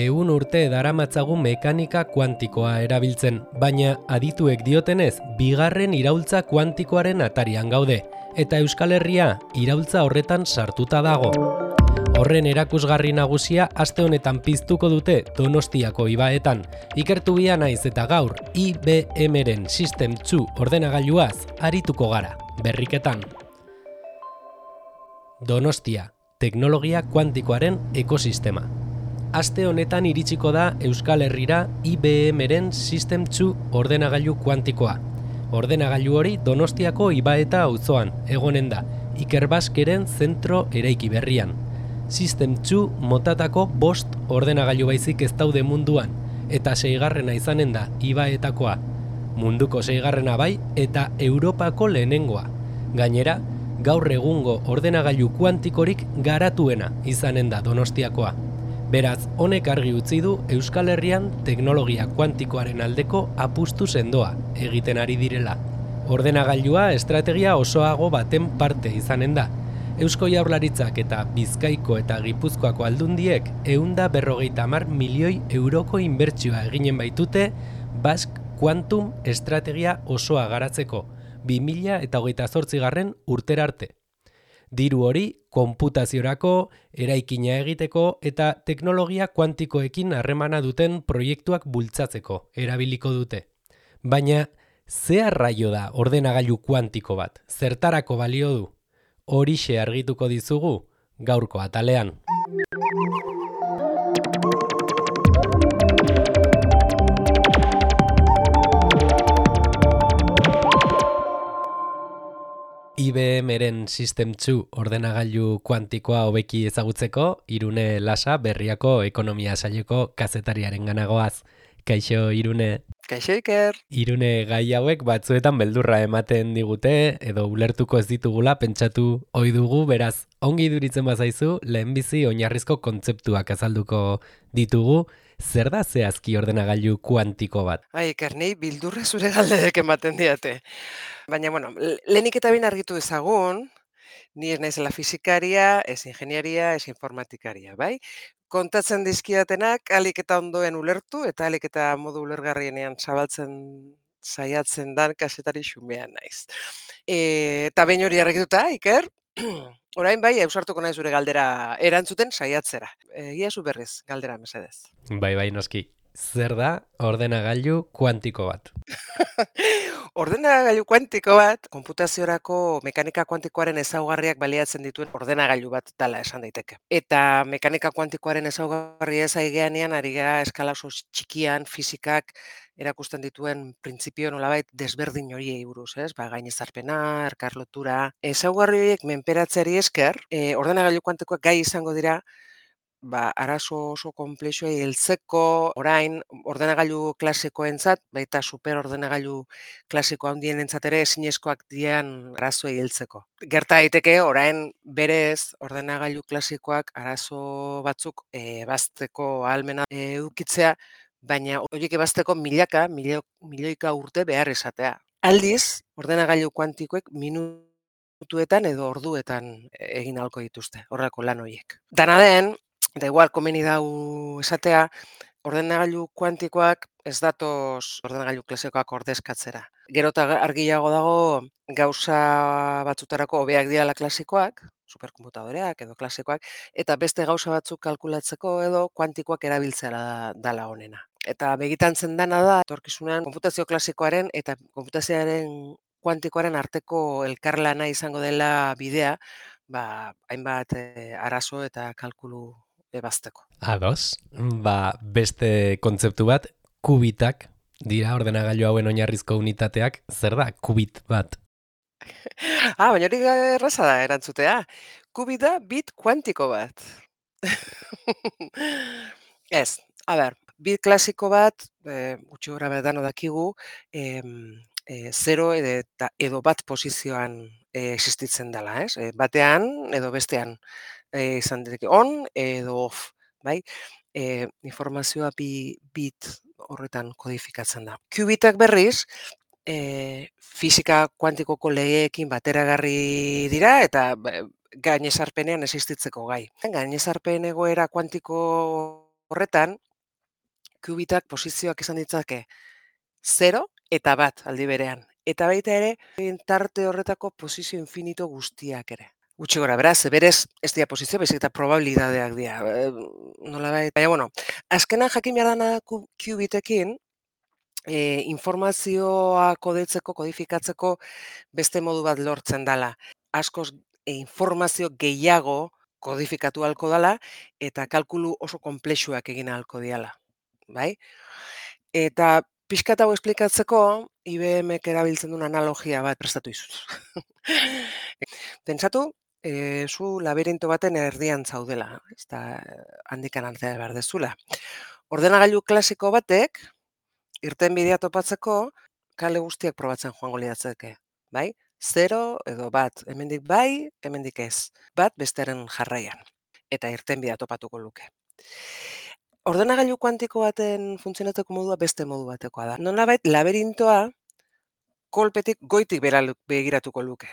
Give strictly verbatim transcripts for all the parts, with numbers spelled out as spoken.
ehun urte daramatzagu mekanika kuantikoa erabiltzen, baina adituek diotenez, bigarren iraultza kuantikoaren atarian gaude, eta Euskal Herria iraultza horretan sartuta dago. Horren erakusgarri nagusia aste honetan piztuko dute Donostiako ibaetan. Ikertu bia naiz eta gaur I B M-ren System two ordenagailuaz arituko gara, berriketan. Donostia, teknologia kuantikoaren ekosistema. Aste honetan iritsiko da Euskal Herrira I B M-ren System two ordenagailu kuantikoa. Ordenagailu hori Donostiako ibaeta auzoan egonen da, Ikerbasqueren zentro eraiki berrian. System two motatako bost ordenagailu baizik ez daude munduan, eta seigarrena izanen da ibaetakoa. Munduko seigarrena bai eta Europako lehenengoa. Gainera, gaur egungo ordenagailu kuantikorik garatuena izanen da Donostiakoa. Beraz, honek argi utzi du Euskal Herrian teknologia kuantikoaren aldeko apustu sendoa egiten ari direla. Ordenagailua estrategia osoago baten parte izanen da. Eusko Jaurlaritzak eta Bizkaiko eta Gipuzkoako aldundiek ehun eta berrogeita hamar milioi euroko inbertsioa eginen baitute Basque Quantum estrategia osoa garatzeko, bi mila hogeita zortzigarren urtera arte. Diru hori konputaziorako, eraikina egiteko eta teknologia kuantikoekin harremana duten proiektuak bultzatzeko erabiliko dute. Baina, ze arraio da ordenagailu kuantiko bat? Zertarako balio du? Horixe argituko dizugu gaurko atalean. I B M-ren System two ordenagailu kuantikoa hobeki ezagutzeko, Irune Lasa Berriako ekonomia saileko kazetariaren ganagoaz. Kaixo, Irune. Kaixo, Iker. Irune, gai hauek batzuetan beldurra ematen digute, edo ulertuko ez ditugula pentsatu ohi dugu, beraz, ongi iduritzen bazaizu, lehenbizi oinarrizko kontzeptuak azalduko ditugu. Zer da zehazki ordenagailu kuantiko bat? Ai, Iker, nei bildurra zure galderek ematen diate. Baina, bueno, lehenik eta bain argitu ezagun, ni ez naizela fisikaria, ez ingenieria, ez informatikaria, bai? Kontatzen dizkidatenak alik eta ondoen ulertu eta alik eta modu ulergarrienean zabaltzen saiatzen dan kazetari xumean naiz. E, eta behin hori argituta, Iker, orain bai, ausartuko naiz zure galdera erantzuten saiatzera. Egia zu berriz, galdera mesedez. Bai, bai, noski. Zer da ordenagailu kuantiko bat? Ordenagailu kuantiko bat, konputaziorako mekanika kuantikoaren ezaugarriak baliatzen dituen ordenagailu bat dela esan daiteke. Eta mekanika kuantikoaren ezaugarri ez aigeanean ari gara eskala oso txikian fisikak erakusten dituen printzipio nolabait desberdin horiei buruz, ez? Ba, gainezarpena, elkarlotura. Ezaugarri horiek menperatzeari esker, e, ordenagailu kuantikoak gai izango dira ba, arazo oso konplexuei heltzeko, orain ordenagailu klasikoentzat, baita superordenagailu klasiko handienentzat ere ezinezkoak dian arazoei heltzeko. Gerta daiteke orain berez ordenagailu klasikoak arazo batzuk e, bazteko ahalmena e, edukitzea, baina horiek ebazteko milaka, milio, milioika urte behar esatea. Aldiz, ordenagailu kuantikoek minutuetan edo orduetan egin ahalko dituzte, horrelako lan horiek. Dana den, da igual komeni dau esatea, ordenagailu kuantikoak ez datoz ordenagailu klasikoak ordezkatzera. Gero eta argiago dago gauza batzutarako hobeak direla klasikoak, superkonputadoreak edo klasikoak, eta beste gauza batzuk kalkulatzeko edo kuantikoak erabiltzea dala honena. Eta begitantzen dana da, etorkizunean konputazio klasikoaren eta konputazioaren kuantikoaren arteko elkarlana izango dela bidea, ba, hainbat e, arazo eta kalkulu ebazteko. Ados, ba, beste kontzeptu bat, kubitak dira ordenagailu hauen oinarrizko unitateak. Zer da kubit bat? ah, baina hori erraza da erantzutea. Kubit da bit kuantiko bat. Ez, a ber, bit klasiko bat, e, gutxi gora bat dano dakigu, e, e, zero edo, edo bat posizioan e, existitzen dela, ez? E, batean edo bestean e, izan diteke on edo off, bai? E, informazioa bi bit horretan kodifikatzen da. Kubitak berriz, e, fisika kuantikoko legeekin bateragarri dira eta gainezarpenean existitzeko gai. Gainezarpen egoera kuantiko horretan, Kubitak posizioak izan ditzake zero eta bat aldi berean. Eta baita ere, tarte horretako posizio infinito guztiak ere. Gutxi gora, beraz, berez ez dira posizio, baizik eta probabilidadeak dira. E, nolabait, baina, bueno, azkenan jakin behar dana kubitekin, e, informazioa kodetzeko, kodifikatzeko beste modu bat lortzen dala. Askoz e, informazio gehiago kodifikatu halko dala eta kalkulu oso konplexuak egin halko diala. Bai? Eta pixkat hau esplikatzeko, I B Mek erabiltzen duen analogia bat prestatu izuz. Pentsatu, e, zu labirinto baten erdian zaudela, eta handikan altzea behar dezula. Ordenagailu klasiko batek, irtenbidea topatzeko, kale guztiak probatzen joango liatzeke, bai? Zero edo bat, hemendik bai, hemendik ez. Bat bestearen jarraian. Eta irtenbidea topatuko luke. Ordenagailu kuantiko baten funtzionatzeko modua beste modu batekoa da. Nolabait laberintoa kolpetik goitik begiratuko luke.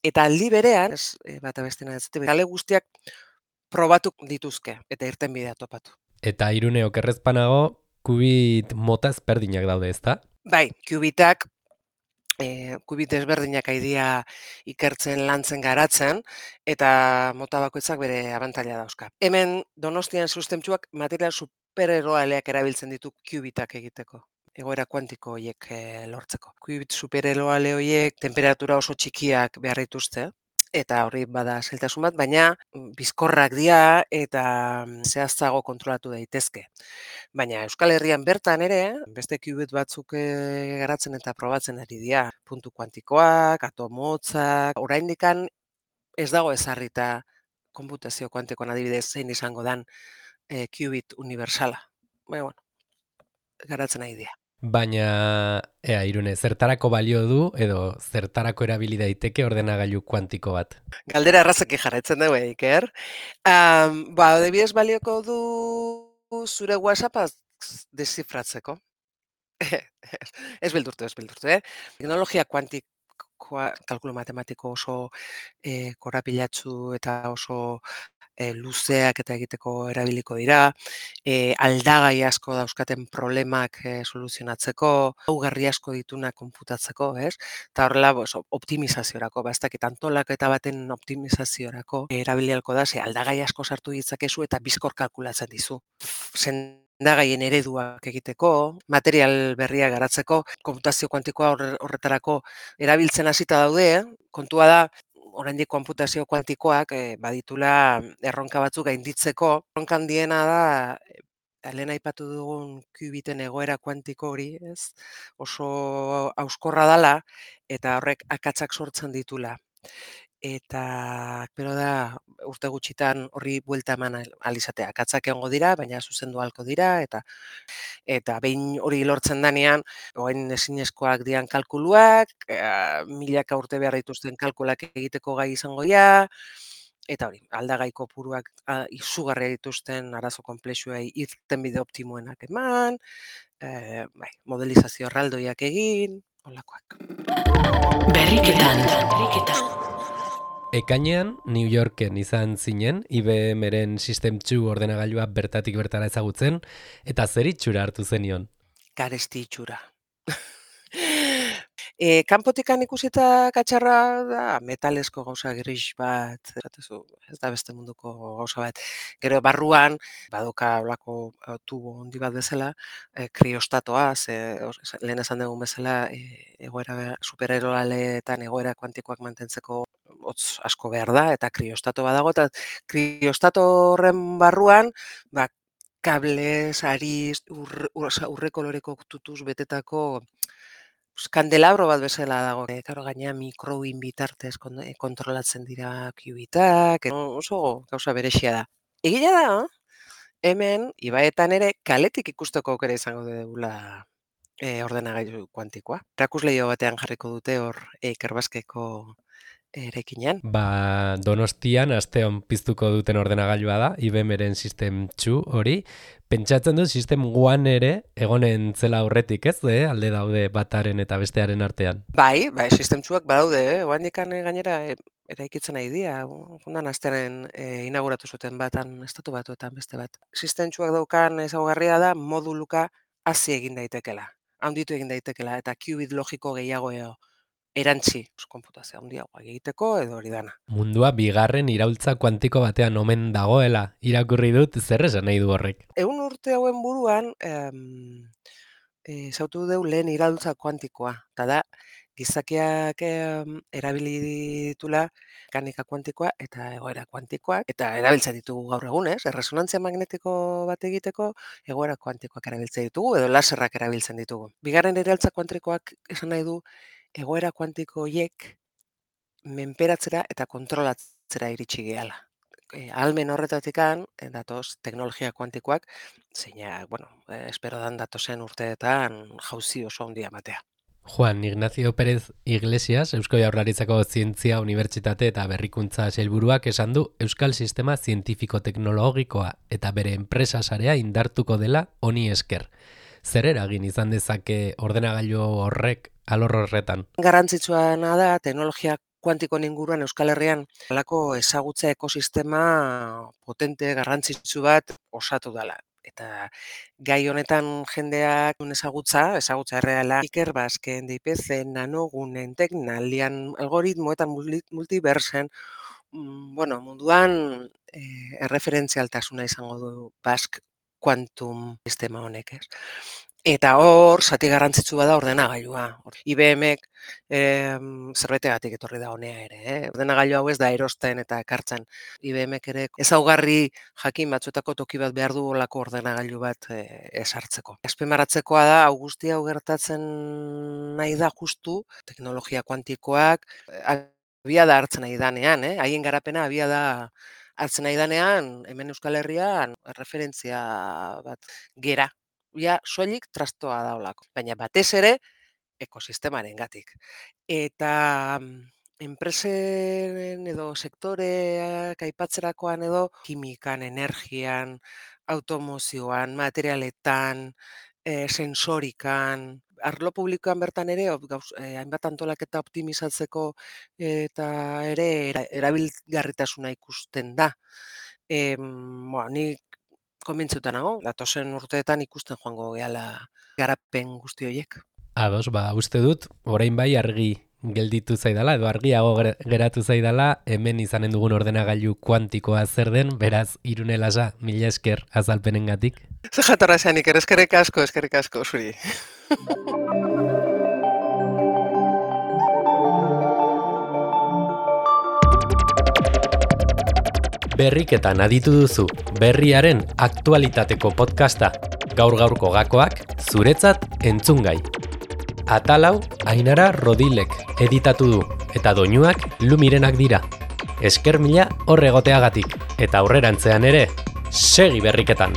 Eta aldi berean, ez, bata bestena ez, kale guztiak probatu dituzke eta irtenbidea topatu. Eta Irune okerrezpanago, kubit mota ezberdinak daude, ezta? Bai, kubitak E, kubit ezberdinak aidia ikertzen, lantzen, garatzen, eta mota bakoitzak bere abantaila dauzka. Hemen Donostian sustentzuak material supereroaleak erabiltzen ditu kubitak egiteko, egoera kuantiko horiek e, lortzeko. Kubit supereroale horiek temperatura oso txikiak behar dituzte, eta hori bada zailtasun bat, baina bizkorrak dira eta zehaztago kontrolatu daitezke. Baina Euskal Herrian bertan ere, beste kubit batzuk garatzen eta probatzen ari dira. Puntu kuantikoak, atomotzak, oraindikan ez dago ezarrita konputazio kuantikoan adibidez zein izango dan e, kubit universala. Baina, bueno, garatzen ari dira. Baina, ea, Irune, zertarako balio du edo zertarako erabili daiteke ordenagailu kuantiko bat? Galdera errazeki jarraitzen dugu, Iker. Um, ba, adibidez balioko du zure WhatsAppa deszifratzeko. Ez beldurtu, ez beldurtu, eh? Teknologia kuantikoa, kalkulu matematiko oso e, korapilatsu eta oso e, luzeak eta egiteko erabiliko dira, e, aldagai asko dauzkaten problemak e, soluzionatzeko, augarri asko dituna konputatzeko, ez? Eta horrela, bos, optimizaziorako, ba, ez dakit antolak eta baten optimizaziorako erabilialko da, ze aldagai asko sartu ditzakezu eta bizkor kalkulatzen dizu. Sendagaien ereduak egiteko, material berria garatzeko, konputazio kuantikoa horretarako erabiltzen hasita daude, eh? Kontua da, oraindik konputazio kuantikoak e, baditula erronka batzuk gainditzeko. Erronka handiena da, lehen aipatu dugun kubiten egoera kuantiko hori, ez? Oso hauskorra dala eta horrek akatsak sortzen ditula. Eta, pero da, urte gutxitan horri buelta eman alizatea. Akatsak egongo dira, baina zuzendu halko dira, eta eta behin hori lortzen danean, oain ezinezkoak dian kalkuluak, e, milaka urte behar dituzten kalkulak egiteko gai izango dira, eta hori, aldagai kopuruak izugarria dituzten arazo konplexuei irtenbide optimoenak eman, e, bai, modelizazio erraldoiak egin, holakoak. Berriketan, berriketan. Ekainean, New Yorken izan zinen, I B Mren System two ordenagailua bertatik bertara ezagutzen, eta zer itxura hartu zenion? Garesti itxura. E, kanpotikan ikusita katxarra da metalesko gauza gris bat, ez da beste munduko gauza bat. Gero barruan, badoka olako tubo handi bat bezala, e, kriostatoa, ze, lehen esan dugun bezala, e, egoera supereroaletan egoera kuantikoak mantentzeko hotz asko behar da, eta kriostato badago, eta kriostato horren barruan, ba, kablez, ariz, urre, urre koloreko tutuz betetako kandelabro bat bezala dago. E, karo, gaina mikroin bitartez kontrolatzen dira kubitak, oso gauza berexia da. Egia da, hemen, ibaetan ere, kaletik ikusteko aukera izango dugula e, ordenagailu kuantikoa. Erakusleio batean jarriko dute hor Eiker Baskeko erekinean. Ba, Donostian asteon piztuko duten ordenagailua da, I B M-eren System two hori. Pentsatzen du System one ere egonen zela aurretik, ez? Eh? Alde daude bataren eta bestearen artean. Bai, bai, System two-ak badaude, eh? Oandikan gainera e, eraikitzen nahi dira. Fundan astearen e, inauguratu zuten batan, estatu batuetan beste bat. System two-ak daukan ezaugarria da moduluka hasi egin daitekela, handitu egin daitekela, eta qubit logiko gehiago eo. Erantzi, konputazio handiagoa egiteko edo hori dana. Mundua bigarren iraultza kuantiko batean omen dagoela, irakurri dut, zer esan nahi du horrek. Ehun urte hauen buruan, em, e, zautu deu lehen iraultza kuantikoa, eta da, gizakiak em, erabili ditula mekanika kuantikoa eta egoera kuantikoak, eta erabiltzen ditugu gaur egun, ez? Erresonantzia magnetiko bat egiteko, egoera kuantikoak erabiltzen ditugu, edo laserrak erabiltzen ditugu. Bigarren iraultza kuantikoak esan nahi du, egoera kuantiko horiek menperatzera eta kontrolatzera iritsi gehala. E, almen horretatikan, e, datoz teknologia kuantikoak, zeina, bueno, e, espero dan datozen urteetan jauzi oso handia ematea. Juan Ignacio Pérez Iglesias, Eusko Jaurlaritzako Zientzia Unibertsitate eta Berrikuntza Sailburuak esan du Euskal Sistema Zientifiko-Teknologikoa eta bere enpresa sarea indartuko dela honi esker. Zer eragin izan dezake ordenagailu horrek alor horretan? Garrantzitsuena da teknologia kuantikoen inguruan Euskal Herrian halako ezagutza ekosistema potente garrantzitsu bat osatu dela. Eta gai honetan jendeak ezagutza, ezagutza erreala, Iker Basken, D I P C, nanogunen, teknalian, algoritmoetan multiversen, mm, bueno, munduan eh, erreferentzialtasuna izango du Bask Quantum sistema honek, ez? Eta hor, zati garrantzitsu bada ordenagailua. I B M-ek eh, zerbetegatik etorri da honea ere. Eh? Ordenagailu hau ez da erosten eta ekartzen. I B M-ek ere ezaugarri jakin batzuetako toki bat behar du olako ordenagailu bat eh, esartzeko. Azpimarratzekoa da, hau guzti hau gertatzen nahi da justu, teknologia kuantikoak abiada hartzen nahi danean, eh? Haien garapena abiada hartzen nahi danean, hemen Euskal Herrian referentzia bat gera. Ja, soilik trastoa da olako, baina batez ere ekosistemaren gatik. Eta enpresen edo sektoreak aipatzerakoan edo kimikan, energian, automozioan, materialetan, e, sensorikan, arlo publikoan bertan ere, gauz, eh, hainbat antolaketa optimizatzeko eta ere erabilgarritasuna ikusten da. E, bueno, ni konbintzuta nago, datozen urteetan ikusten joango gehala garapen guzti horiek. Ados, ba, uste dut, orain bai argi gelditu zaidala, edo argiago geratu zaidala, hemen izanen dugun ordenagailu kuantikoa zer den, beraz, Irune Lasa, mila esker azalpenengatik. Zer jatorra zeanik, eskerrik asko, eskerrik asko, zuri. Berriketan aditu duzu, berriaren aktualitateko podcasta, gaur-gaurko gakoak, zuretzat entzungai. Atalau, Ainara Rodilek editatu du, eta doinuak Lumirenak dira. Esker mila hor egoteagatik, eta aurrerantzean ere, segi berriketan!